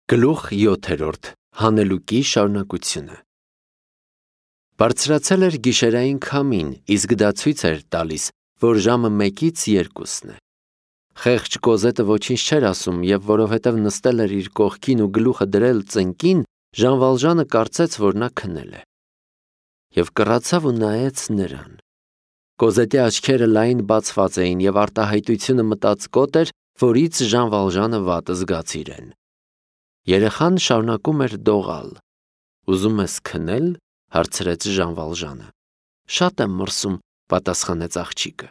Գլուխ 7. Հանելուկի շարունակությունը։ Բարձրացել էր գիշերային քամին, իսկ դա ցույց էր տալիս, որ ժամը 1-ից 2-ն է։ Խեղճ Կոզետը ոչինչ չէր ասում, եւ որովհետեւ նստել էր իր կողքին ու գլուխը դրել ծնկին, Ժան Վալժանը կարծեց, որ նա քնել է։ Եվ կռացավ ու նայեց նրան։ Կոզետի աչքերը լայն բացված էին եւ արտահայտությունը մտածկոտ էր, որից Ժան Վալժանը վատ զգաց իրեն։ Երեխան շարունակում էր դողալ։ Ուզում ես քնել, հարցրեց Ժան Վալժանը։ Շատ եմ մրսում, պատասխանեց աղջիկը։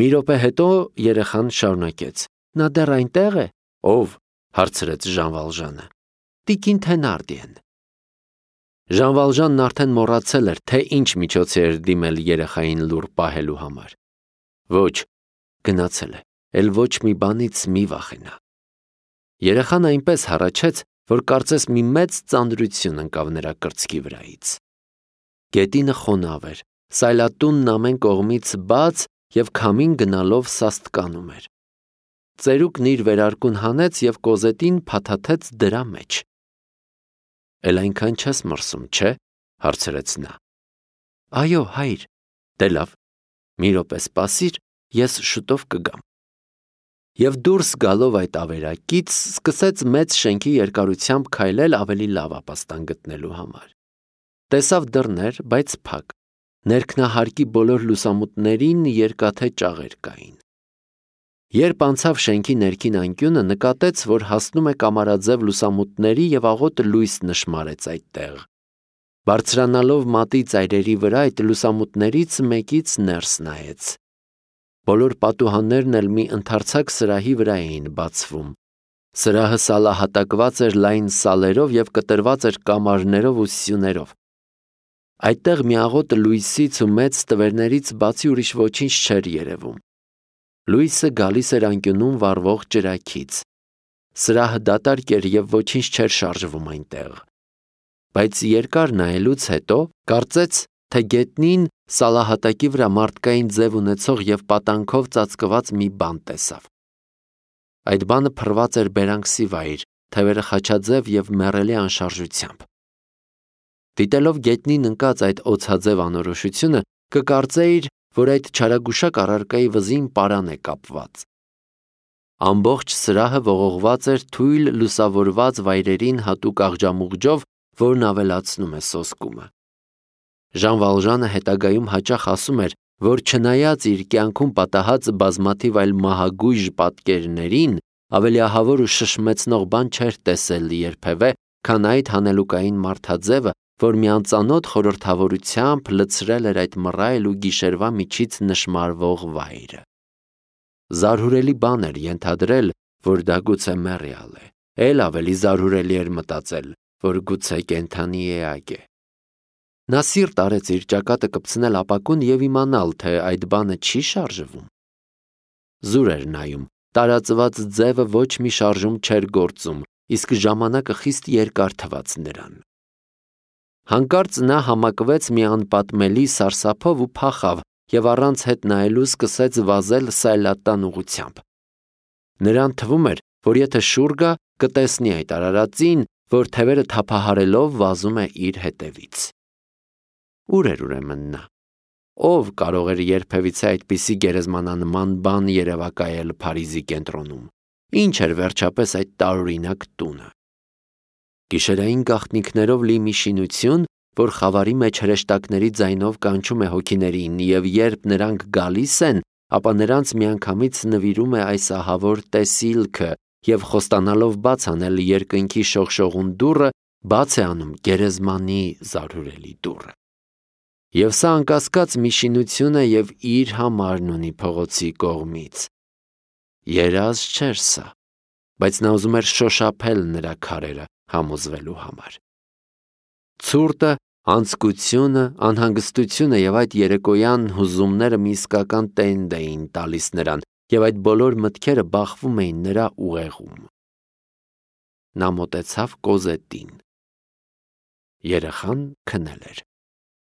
Մի րոպե հետո երեխան շարունակեց. Նա դեռ այնտեղ է։ Ով, հարցրեց Ժան Վալժանը։ Տիկին Թենարդիեն։ Ժան Վալժանն արդեն մոռացել էր, թե ինչ միջոցի էր դիմել երեխային լուռ պահելու համար։ Ոչ, գնացել է, էլ ոչ մի բանից մի վախենա։ Երեխան այնպես հառաչեց, որ կարծես մի մեծ ծանրություն ընկավ նրա կրծքի վրայից։ Գետինը խոնավ էր, սայլատունն ամեն կողմից բաց եւ քամին գնալով սաստկանում էր։ Ծերուկն իր վերարկուն հանեց եւ Կոզետին փաթաթեց դրա մեջ։ Էլ այնքան չես մրսում, չէ՞, հարցրեց նա։ Այո, հայր, դե լավ, մի րոպե սպասիր, ես շուտով կգամ։ Եվ դուրս գալով այդ ավերակից սկսեց մեծ շենքի երկարությամբ քայլել ավելի լավ ապաստան գտնելու համար։ Տեսավ դռներ, բայց փակ։ Ներքնահարկի բոլոր լուսամուտներին երկաթե ճաղեր կային։ Երբ անցավ շենքի ներքին անկյունը, նկատեց, որ հասնում է կամարաձև լուսամուտների եւ աղոտ լույս նշմարեց այդտեղ։ Բարձրանալով մատի ծայրերի վրա այդ լուսամուտներից մեկից ներս նայեց։ Բոլոր պատուհաններն էլ մի ընդարձակ սրահի վրա էին բացվում։ Սրահը սալահատակված էր լայն սալերով եւ կտրված էր կամարներով ու սյուներով։ Այդտեղ մի աղոտ լույսից ու մեծ տվերներից բացի ուրիշ ոչինչ չէր երևում։ Լույսը գալիս էր անկյունում վառվող ճրագից։ Սրահը դատարկ էր եւ ոչինչ չէր շարժվում այնտեղ։ Բայց երկար նայելուց հետո կարծեց, թե գետնին սալահատակի վրա մարդկային ձև ունեցող եւ պատանքով ծածկված մի բան տեսավ։ Այդ բանը փռված էր բերանքսի վայր, թևերը խաչաձև եւ մեռելի անշարժությամբ։ Դիտելով գետնին ընկած այդ օձաձև անորոշությունը, կկարծեիր, որ այդ չարագուշակ առարկայի վզին պարան է կապված։ Ամբողջ սրահը ողողված էր թույլ լուսավորված վայրերին հատուկ աղջամուղջով, որն ավելացնում է սոսկումը։ Ժան Վալժանը հետագայում հաճախ ասում էր, որ չնայած իր կյանքում պատահած բազմաթիվ այլ մահագույժ պատկերներին, ավելի ահավոր ու շշմեցնող բան չէր տեսել երբևէ, քան այդ հանելուկային մարդաձևը, որ մի անծանոթ խորհրդավորությամբ լցրել էր այդ մռայլ ու գիշերվա միջից նշմարվող վայրը։ Զարհուրելի բան էր ենթադրել, որ դա գուցե մեռյալ է։ Էլ ավելի զարհուրելի էր մտածել, որ գուցե կենդանի էակ է։ Նա սիրտ արեց իր ճակատը կպցնել ապակուն եւ իմանալ, թե այդ բանը չի շարժվում։ Զուր էր նայում, տարածված ձևը ոչ մի շարժում չէր գործում, իսկ ժամանակը խիստ երկար թվաց նրան։ Հանկարծ նա համակվեց մի անպատմելի սարսափով ու փախավ եւ առանց հետ նայելու սկսեց վազել սայլատան ուղությամբ։ Նրան թվում էր, որ եթե շուռ գա, կտեսնի այդ արարածին, որ թևերը թափահարելով վազում է իր հետևից։ Ուր էր ուրեմն նա։ Ով կարող էր երբևիցե այդպիսի գերեզմանանման բան երևակայել Փարիզի կենտրոնում։ Ինչ էր վերջապես այդ տարօրինակ տունը։ Գիշերային գաղտնիքներով լի մի շինություն, որ խավարի մեջ հրեշտակների ձայնով կանչում է հոգիներին, եւ երբ նրանք գալիս են, ապա նրանց միանգամից նվիրում է այս ահավոր տեսիլքը եւ խոստանալով բաց անել երկնքի շողշողուն դուռը, բաց է անում գերեզմանի զարհուրելի դուռը։ Եվ սա անկասկած մի շինություն է եւ իր համարն ունի փողոցի կողմից։ Երազ չէր սա, բայց նա ուզում էր շոշափել նրա քարերը համոզվելու համար։ Ցուրտը, անձկությունը, անհանգստությունը եւ այդ երեկոյան հուզումները մի իսկական տենդ էին տալիս նրան, եւ այդ բոլոր մտքերը բախվում էին նրա ուղեղում։ Նա մոտեցավ Կոզետին։ Երեխան քնել էր։